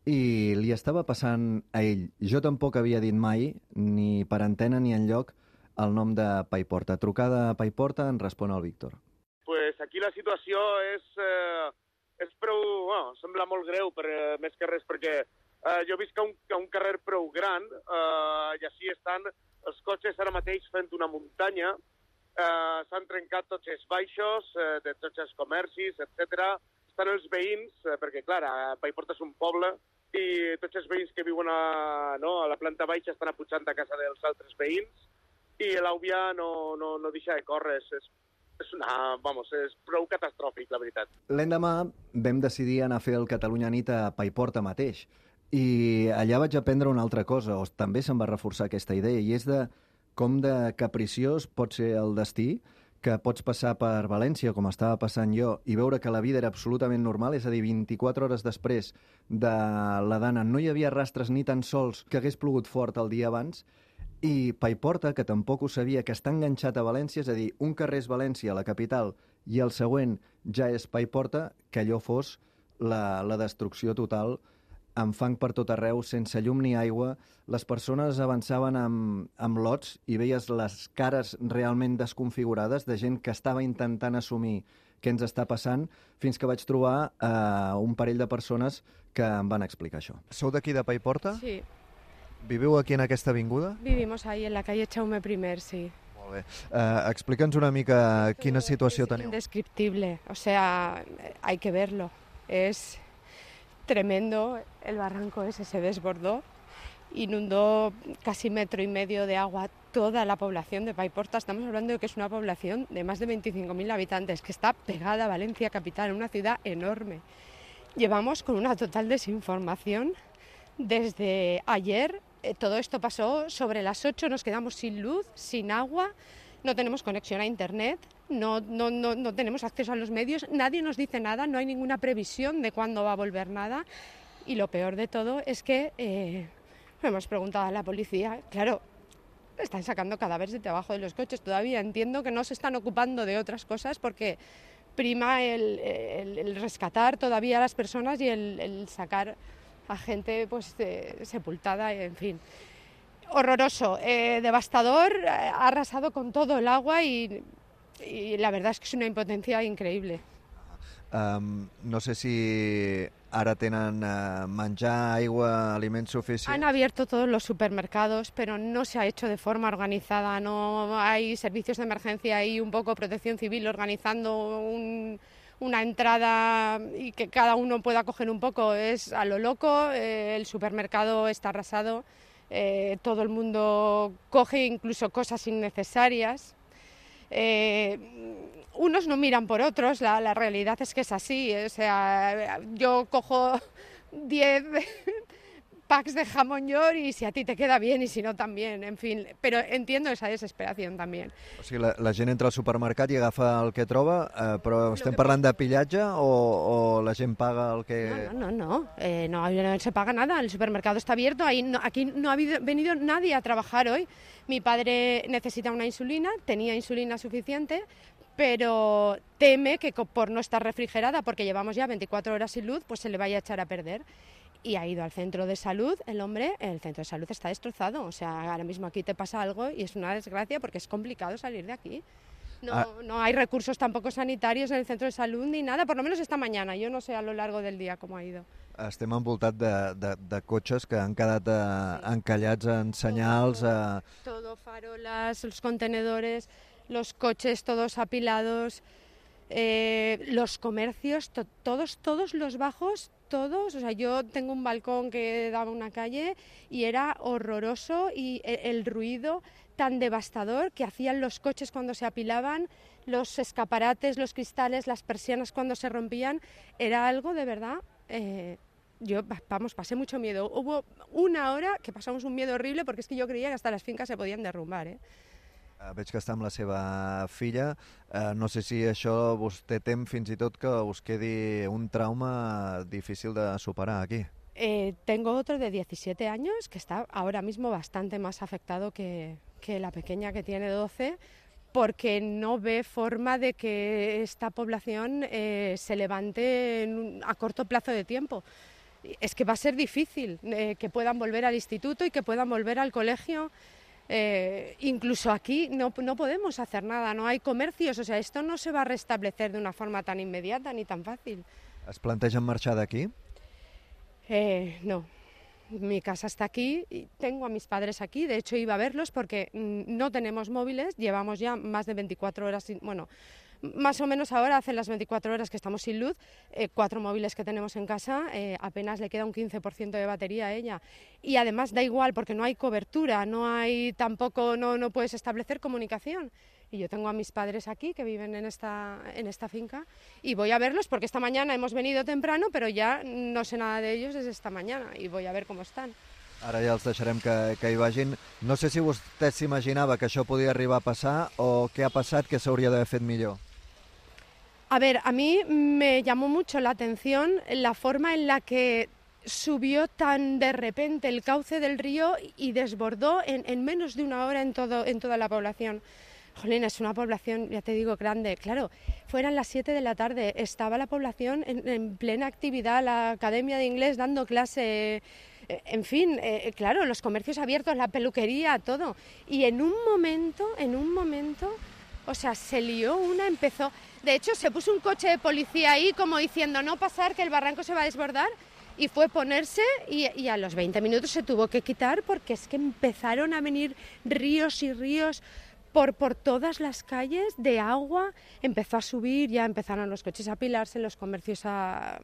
i li estava passant a ell. Jo tampoc havia dit mai, ni per antena ni enlloc, el nom de Paiporta. Trucada a Paiporta, en respon el Víctor. Pues aquí la situació és, eh, és prou... Bueno, sembla molt greu, per, eh, més que res, perquè Uh, jo visc a un, a un carrer prou gran uh, i així estan els cotxes ara mateix fent una muntanya. Uh, S'han trencat tots els baixos uh, de tots els comercis, etcètera. Estan els veïns, uh, perquè, clar, a Paiporta és un poble, i tots els veïns que viuen a, no, a la planta baixa estan apujant a casa dels altres veïns, i l'àvia no, no, no deixa de córrer. És, és, una, vamos, és prou catastròfic, la veritat. L'endemà vam decidir anar a fer el Catalunya Nit a Paiporta mateix. I allà vaig aprendre una altra cosa, o també se'm va reforçar aquesta idea, i és de com de capriciós pot ser el destí, que pots passar per València, com estava passant jo, i veure que la vida era absolutament normal, és a dir, vint-i-quatre hores després de la Dana no hi havia rastres ni tan sols que hagués plogut fort el dia abans, i Paiporta, que tampoc ho sabia, que està enganxat a València, és a dir, un carrer és València, la capital, i el següent ja és Paiporta, que allò fos la, la destrucció total, amb fang per tot arreu, sense llum ni aigua. Les persones avançaven amb, amb lots i veies les cares realment desconfigurades de gent que estava intentant assumir què ens està passant, fins que vaig trobar eh, un parell de persones que em van explicar això. Sou d'aquí de Paiporta? Sí. Viviu aquí en aquesta avinguda? Vivimos ahí, en la calle Chaume I, sí. Molt bé. Eh, Explica'ns una mica quina situació teniu. Indescriptible, o sea, hay que verlo. Es... tremendo. El barranco ese se desbordó, inundó casi metro y medio de agua toda la población de Paiporta. Estamos hablando de que es una población de más de veinticinco mil habitantes, que está pegada a Valencia capital, una ciudad enorme. Llevamos con una total desinformación desde ayer. Eh, todo esto pasó sobre las ocho, nos quedamos sin luz, sin agua, no tenemos conexión a internet, no, no, no, no tenemos acceso a los medios, nadie nos dice nada, no hay ninguna previsión de cuándo va a volver nada. Y lo peor de todo es que eh, hemos preguntado a la policía, claro, están sacando cadáveres de debajo de los coches todavía. Entiendo que no se están ocupando de otras cosas porque prima el, el, el rescatar todavía a las personas y el, el sacar a gente pues de, sepultada, en fin. Horroroso, eh, devastador, eh, ha arrasado con todo el agua y, y la verdad es que es una impotencia increíble. Um, no sé si ara tenen uh, menjar, aigua, aliments suficients. Han abierto todos los supermercados, pero no se ha hecho de forma organizada. No hay servicios de emergencia y un poco protección civil organizando un, una entrada y que cada uno pueda coger un poco. Es a lo loco, eh, el supermercado está arrasado, eh, todo el mundo coge incluso cosas innecesarias. Eh, unos no miran por otros, la, la realidad es que es así, o sea, yo cojo diez packs de jamón york y si a ti te queda bien y si no también, en fin, però entiendo esa desesperación también. O sigui, la, la gent entra al supermercat i agafa el que troba, eh, però estem parlant de pillatge o, o la gent paga el que... No, no, no, no, eh, no, no se paga nada, el supermercado está abierto, ahí no, aquí no ha habido, venido nadie a trabajar hoy. Mi padre necesita una insulina, tenía insulina suficiente, pero teme que por no estar refrigerada, porque llevamos ya veinticuatro horas sin luz, pues se le vaya a echar a perder. Y ha ido al centro de salud, el hombre, el centro de salud está destrozado. O sea, ahora mismo aquí te pasa algo y es una desgracia porque es complicado salir de aquí. No, ah. no hay recursos tampoco sanitarios en el centro de salud ni nada, por lo menos esta mañana. Yo no sé a lo largo del día cómo ha ido. Estem envoltats de, de, de cotxes que han quedat eh, sí. encallats en senyals. Todo, eh... todo, farolas, los contenedores, los coches todos apilados, eh, los comercios, to, todos, todos los bajos, todos. O sea, yo tengo un balcón que daba a una calle y era horroroso y el, el ruido tan devastador que hacían los coches cuando se apilaban, los escaparates, los cristales, las persianas cuando se rompían, era algo de verdad... Eh, Yo, vamos, pasé mucho miedo. Hubo una hora que pasamos un miedo horrible porque es que yo creía que hasta las fincas se podien derrumbar, eh? Uh, veig que està amb la seva filla. Uh, no sé si això vostè tem fins i tot que us quedi un trauma difícil de superar aquí. Eh, tengo otro de diecisiete años que está ahora mismo bastante más afectado que, que la pequeña que tiene doce, porque no ve forma de que esta población eh, se levante en un, a corto plazo de tiempo. Es que va a ser difícil eh, que puedan volver al instituto y que puedan volver al colegio. Eh, incluso aquí no, no podemos hacer nada, no hay comercios, o sea, esto no se va a restablecer de una forma tan inmediata ni tan fácil. ¿Es plantegen marxar d'aquí? Eh, no. Mi casa está aquí, y tengo a mis padres aquí, de hecho iba a verlos porque no tenemos móviles, llevamos ya más de veinticuatro horas, sin, bueno, más o menos ahora hacen las veinticuatro horas que estamos sin luz, eh, cuatro móviles que tenemos en casa, eh, apenas le queda un quince por ciento de batería a ella. Y además da igual porque no hay cobertura, no hay tampoco, no, no puedes establecer comunicación. Y yo tengo a mis padres aquí que viven en esta, en esta finca y voy a verlos porque esta mañana hemos venido temprano, pero ya no sé nada de ellos desde esta mañana y voy a ver cómo están. Ara ja els deixarem que, que hi vagin. No sé si vostè s'imaginava que això podia arribar a passar o què ha passat que s'hauria d'haver fet millor. A ver, a mí me llamó mucho la atención la forma en la que subió tan de repente el cauce del río y desbordó en, en menos de una hora en, todo, en toda la población. Jolín, es una población, ya te digo, grande. Claro, fueran las siete de la tarde, estaba la población en, en plena actividad, la academia de inglés dando clase, eh, en fin, eh, claro, los comercios abiertos, la peluquería, todo. Y en un momento, en un momento, o sea, se lió una, empezó... De hecho, se puso un coche de policía ahí como diciendo no pasar, que el barranco se va a desbordar, y fue ponerse y, y a los veinte minutos se tuvo que quitar porque es que empezaron a venir ríos y ríos por, por todas las calles de agua, empezó a subir, ya empezaron los coches a apilarse, los comercios a,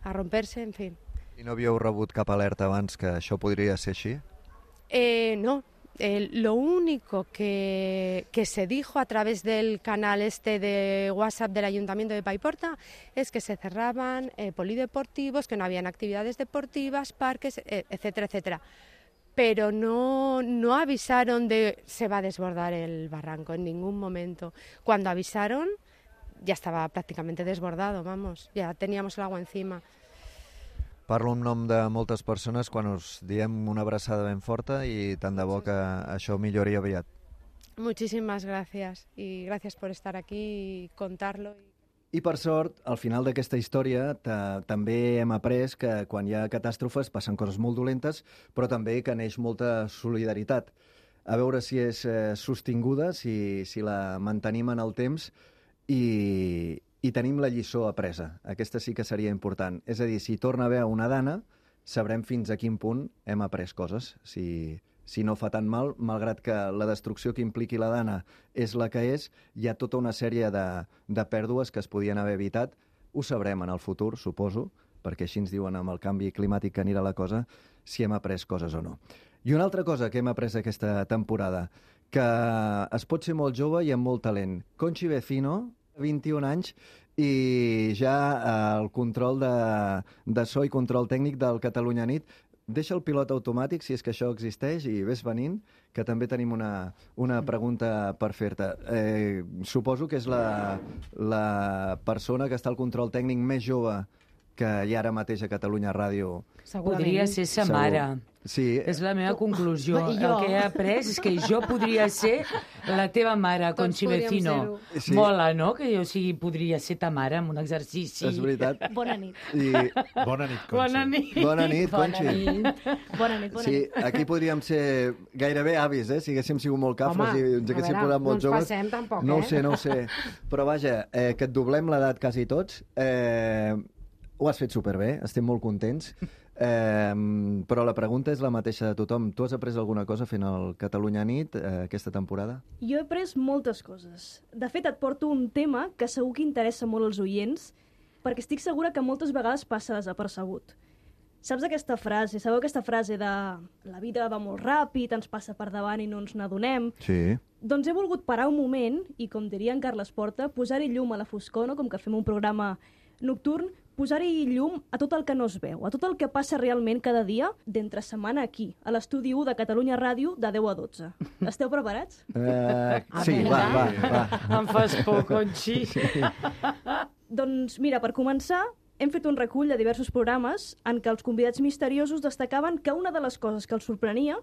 a romperse, en fin. I no havíeu rebut cap alerta abans que això podria ser així? Eh, no, eh, lo único que, que se dijo a través del canal este de WhatsApp del Ayuntamiento de Paiporta es que se cerraban eh, polideportivos, que no habían actividades deportivas, parques, eh, etcétera, etcétera. Pero no, no avisaron de se va a desbordar el barranco en ningún momento. Cuando avisaron ya estaba prácticamente desbordado, vamos, ya teníamos el agua encima. Parlo en nom de moltes persones quan us diem una abraçada ben forta i tant de bo que això millori aviat. Muchísimas gracias y gracias por estar aquí y contarlo. I per sort, al final d'aquesta història també hem après que quan hi ha catàstrofes passen coses molt dolentes, però també que neix molta solidaritat. A veure si és eh, sostinguda, si, si la mantenim en el temps i, i tenim la lliçó apresa. Aquesta sí que seria important. És a dir, si torna a haver una dana, sabrem fins a quin punt hem après coses. Si, si no fa tan mal, malgrat que la destrucció que impliqui la dana és la que és, hi ha tota una sèrie de, de pèrdues que es podien haver evitat. Ho sabrem en el futur, suposo, perquè així ens diuen amb el canvi climàtic que anirà la cosa, si hem après coses o no. I una altra cosa que hem après aquesta temporada, que es pot ser molt jove i amb molt talent. Conchi Vecino, vint-i-un anys, i ja el control de, de so i control tècnic del Catalunya Nit. Deixa el pilot automàtic, si és que això existeix, i ves venint, que també tenim una, una pregunta per fer-te. Eh, suposo que és la, la persona que està al control tècnic més jove que hi ha ara mateix a Catalunya Ràdio. Podria ser sa mare. Sí. És la meva conclusió. I El jo. que he après és que jo podria ser la teva mare, Conchi Vecino. Sí. Mola, no? Que jo sigui, podria ser ta mare en un exercici. És veritat. Bona nit. I... Bona nit, Conchi. Bona nit. Bona nit, Conchi. Bona nit, bona Sí, nit. aquí podríem ser gairebé avis, eh? Si haguéssim sigut molt cafres Home, i ens haguéssim a veure, posat molt no ens joves. passem tampoc, no eh? ho sé, no ho sé. Però vaja, eh, que et doblem l'edat quasi tots. Eh, ho has fet superbé, estem molt contents. Eh, però la pregunta és la mateixa de tothom. Tu has après alguna cosa fent el Catalunya Nit eh, aquesta temporada? Jo he après moltes coses. De fet, et porto un tema que segur que interessa molt als oients, perquè estic segura que moltes vegades passa desapercebut. Saps aquesta frase, sabeu aquesta frase de la vida va molt ràpid, ens passa per davant i no ens n'adonem? Sí. Doncs he volgut parar un moment i, com diria en Carles Porta, posar-hi llum a la foscor, no? Com que fem un programa nocturn, posar-hi llum a tot el que no es veu, a tot el que passa realment cada dia d'entre setmana aquí, a l'estudi u de Catalunya Ràdio, de deu a dotze. Esteu preparats? Eh, sí, va, va, va. Em fas por, Conchi. Doncs mira, per començar, hem fet un recull de diversos programes en què els convidats misteriosos destacaven que una de les coses que els sorprenia,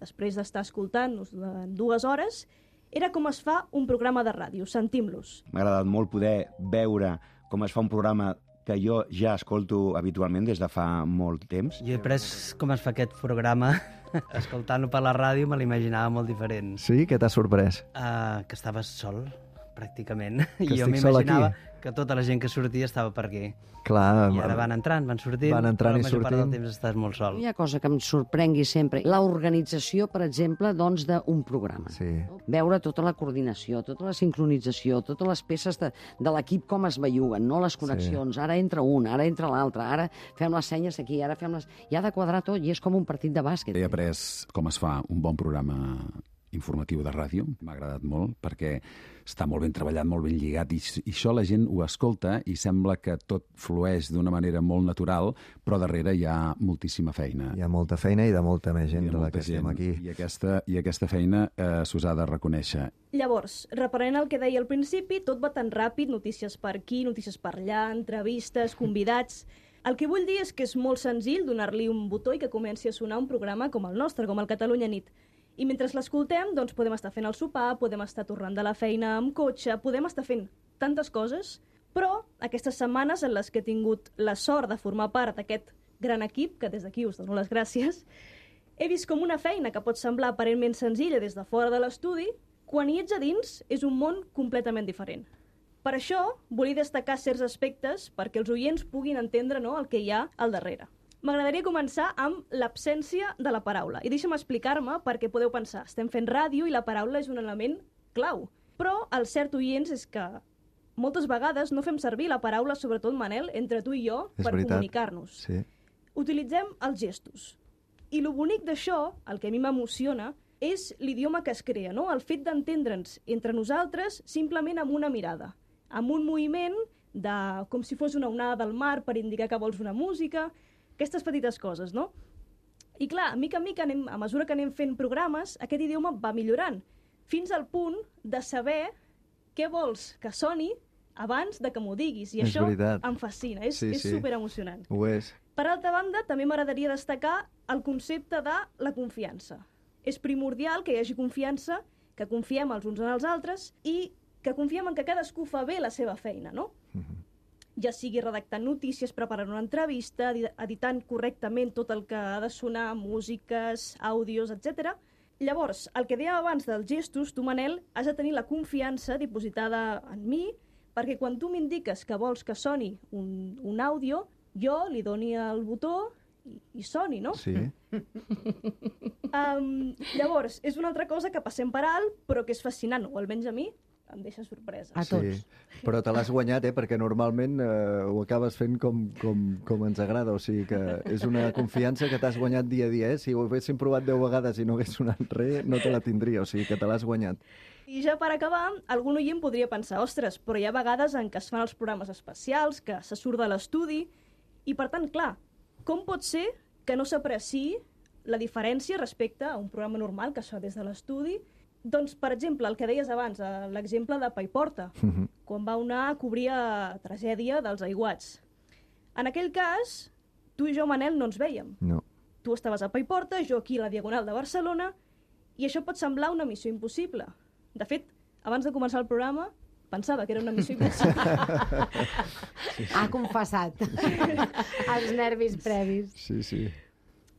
després d'estar escoltant-nos durant dues hores, era com es fa un programa de ràdio. Sentim-los. M'ha agradat molt poder veure com es fa un programa que jo ja escolto habitualment des de fa molt temps. Jo he après com es fa aquest programa. Escoltant-lo per la ràdio me l'imaginava molt diferent. Sí? Què t'ha sorprès? Uh, que estaves sol, pràcticament. Que I jo estic sol m'imaginava aquí. que tota la gent que sortia estava per aquí. Clar, I ara van entrant, van sortint, van entrant però i la major part del sortint. temps estàs molt sol. Hi ha cosa que em sorprengui sempre, l'organització, per exemple, doncs, d'un programa. Sí. Veure tota la coordinació, tota la sincronització, totes les peces de, de l'equip com es belluguen, no les connexions. Sí. Ara entra un, ara entra l'altre, ara fem les senyes aquí, ara fem les... I ha de quadrar tot i és com un partit de bàsquet. He après com es fa un bon programa informatiu de ràdio. M'ha agradat molt perquè està molt ben treballat, molt ben lligat i, i això la gent ho escolta i sembla que tot flueix d'una manera molt natural, però darrere hi ha moltíssima feina. Hi ha molta feina i de molta més gent de la que estem aquí. I aquesta, i aquesta feina eh, s'us ha de reconèixer. Llavors, reprenent el que deia al principi, tot va tan ràpid, notícies per aquí, notícies per allà, entrevistes, convidats... El que vull dir és que és molt senzill donar-li un botó i que comenci a sonar un programa com el nostre, com el Catalunya Nit. I mentre l'escoltem, doncs podem estar fent el sopar, podem estar tornant de la feina amb cotxe, podem estar fent tantes coses, però aquestes setmanes en les que he tingut la sort de formar part d'aquest gran equip, que des d'aquí us dono les gràcies, he vist com una feina que pot semblar aparentment senzilla des de fora de l'estudi, quan hi ets a dins és un món completament diferent. Per això, volia destacar certs aspectes perquè els oients puguin entendre, no, el que hi ha al darrere. M'agradaria començar amb l'absència de la paraula. I deixa'm explicar-me perquè podeu pensar, estem fent ràdio i la paraula és un element clau. Però el cert, oients, és que moltes vegades no fem servir la paraula, sobretot, Manel, entre tu i jo, És per veritat. comunicar-nos. Sí. Utilitzem els gestos. I el bonic d'això, el que a mi m'emociona, és l'idioma que es crea, no? El fet d'entendre'ns entre nosaltres simplement amb una mirada, amb un moviment de, com si fos una onada del mar per indicar que vols una música, aquestes petites coses, no? I clar, mica en mica, anem, a mesura que anem fent programes, aquest idioma va millorant, fins al punt de saber què vols que soni abans de que m'ho diguis. I És això veritat. em fascina, és, Sí, és sí. superemocionant. Ho és. Per altra banda, també m'agradaria destacar el concepte de la confiança. És primordial que hi hagi confiança, que confiem els uns en els altres i que confiem en que cadascú fa bé la seva feina, no? Ja sigui redactant notícies, preparant una entrevista, edi- editant correctament tot el que ha de sonar, músiques, àudios, etcètera. Llavors, el que dèiem abans dels gestos, tu, Manel, has de tenir la confiança dipositada en mi, perquè quan tu m'indiques que vols que soni un, un àudio, jo li doni el botó i, i soni, no? Sí. Um, llavors, és una altra cosa que passem per alt, però que és fascinant, o almenys a mi em deixa sorpresa. Sí, però te l'has guanyat, eh? Perquè normalment eh, ho acabes fent com, com, com ens agrada, o sigui que és una confiança que t'has guanyat dia a dia, eh? Si ho haguéssim provat deu vegades i no hagués sonat res, no te la tindria, o sigui que te l'has guanyat. I ja per acabar, algun oient podria pensar, ostres, però hi ha vegades en què es fan els programes especials, que se surt de l'estudi, i per tant, clar, com pot ser que no s'apreciï la diferència respecte a un programa normal que es fa des de l'estudi? Doncs, per exemple, el que deies abans, eh, l'exemple de Paiporta, Mhm. quan va anar a cobrir la tragèdia dels aiguats. En aquell cas, tu i jo, Manel, no ens vèiem. No. Tu estaves a Paiporta, jo aquí a la Diagonal de Barcelona, i això pot semblar una missió impossible. De fet, abans de començar el programa, pensava que era una missió impossible. Ha confessat. Els nervis previs. Sí, sí.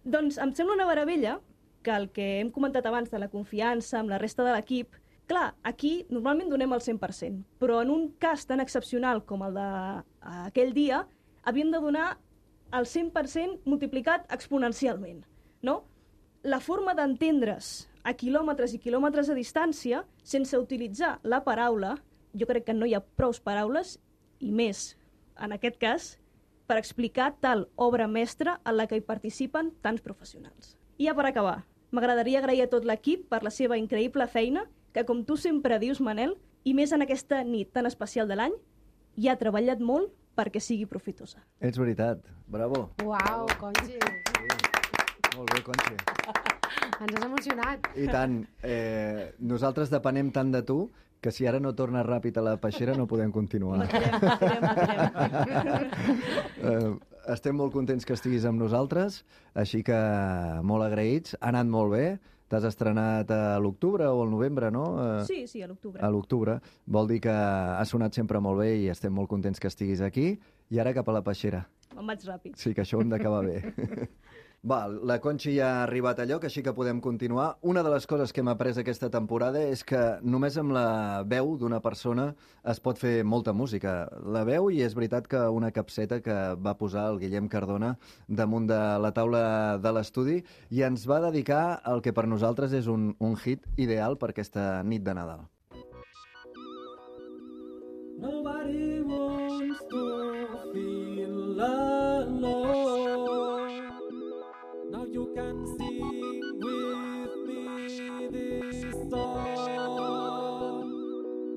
Doncs em sembla una meravella que el que hem comentat abans de la confiança amb la resta de l'equip, clar, aquí normalment donem el cent per cent, però en un cas tan excepcional com el d'aquell dia, havíem de donar el cent per cent multiplicat exponencialment, no? La forma d'entendre's a quilòmetres i quilòmetres de distància, sense utilitzar la paraula, jo crec que no hi ha prous paraules, i més, en aquest cas, per explicar tal obra mestra en la que hi participen tants professionals. I ja per acabar, m'agradaria agrair a tot l'equip per la seva increïble feina, que com tu sempre dius, Manel, i més en aquesta nit tan especial de l'any, hi ha treballat molt perquè sigui profitosa. Ets veritat. Bravo. Uau, Conchi. Molt bé, Conchi. Ens has emocionat. I tant. Eh, nosaltres depenem tant de tu que si ara no tornes ràpid a la peixera no podem continuar. eh, estem molt contents que estiguis amb nosaltres, així que molt agraïts. Ha anat molt bé. T'has estrenat a l'octubre o al novembre, no? Eh, Sí, sí, a l'octubre. A l'octubre. Vol dir que ha sonat sempre molt bé i estem molt contents que estiguis aquí. I ara cap a la peixera. Me'n vaig ràpid. Sí, que això ho hem d'acabar bé. Va, la Conchi ja ha arribat a lloc, així que podem continuar. Una de les coses que hem après aquesta temporada és que només amb la veu d'una persona es pot fer molta música. La veu, i és veritat que una capseta que va posar el Guillem Cardona damunt de la taula de l'estudi i ens va dedicar el que per nosaltres és un, un hit ideal per aquesta nit de Nadal. Nobody wants to feel alone. Now you can sing with me this song.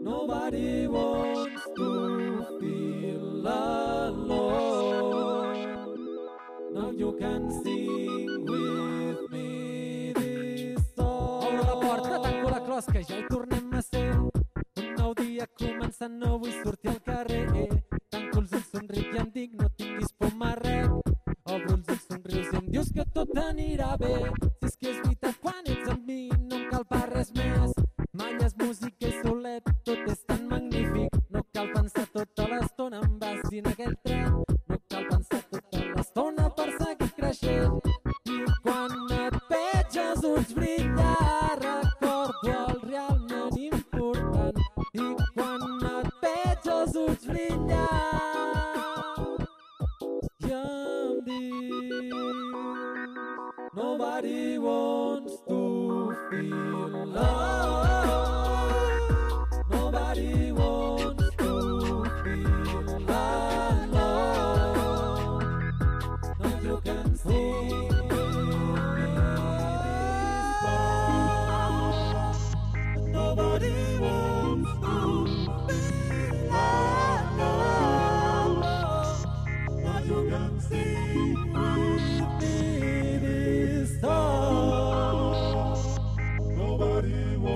Nobody wants to feel alone. Now you can sing with me this song. Obro la porta, tanco la closca, ja hi tornem a ser. Un nou dia començant, no vull sortir al carrer. Tanco els ulls, somric i em dic, no tinguis por marrec. Obro els ulls, somrius i em dius que tot anirà bé. Si és que és veritat, quan ets amb mi no em cal per res més. Malles, música i solet, tot és tan magnífic. No cal pensar tota l'estona, em vas dir en aquell tren. No cal pensar tota l'estona per seguir creixent. I quan et veig els ulls brillar, recordo el realment important. I quan et veig els ulls brillar, ja em dius nobody wants to feel love. Nobody wants to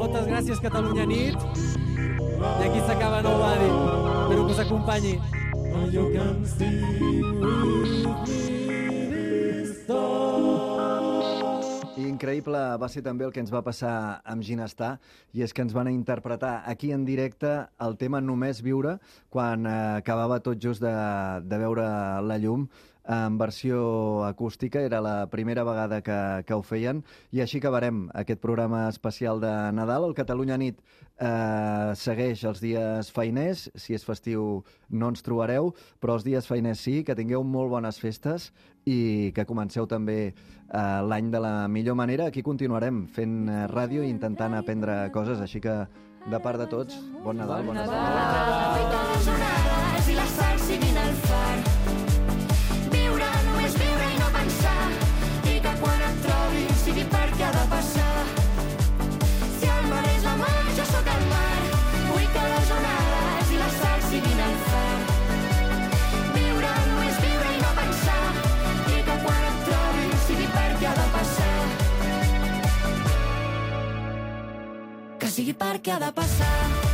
Moltes gràcies, Catalunya Nit. I aquí s'acaba Nobody. Espero que us acompanyi. You can sing with me this song. Increïble va ser també el que ens va passar amb Ginestar, i és que ens van interpretar aquí en directe el tema Només viure, quan eh, acabava tot just de, de veure la llum en versió acústica. Era la primera vegada que, que ho feien, i així acabarem aquest programa especial de Nadal. El Catalunya Nit eh, segueix els dies feiners. Si és festiu no ens trobareu, però els dies feiners sí. Que tingueu molt bones festes i que comenceu també eh, l'any de la millor manera. Aquí continuarem fent eh, ràdio i intentant aprendre coses, així que de part de tots, bon Nadal, bon Nadal. I la sal siguin al far. Viure, només viure i no pensar, i que quan et trobi sigui perquè ha de passar. Si el mar és la mar, jo sóc el mar. Vull que les onades i la sal siguin al far. Viure, només viure i no pensar, i que quan et trobi sigui perquè ha de passar. Que sigui perquè ha de passar.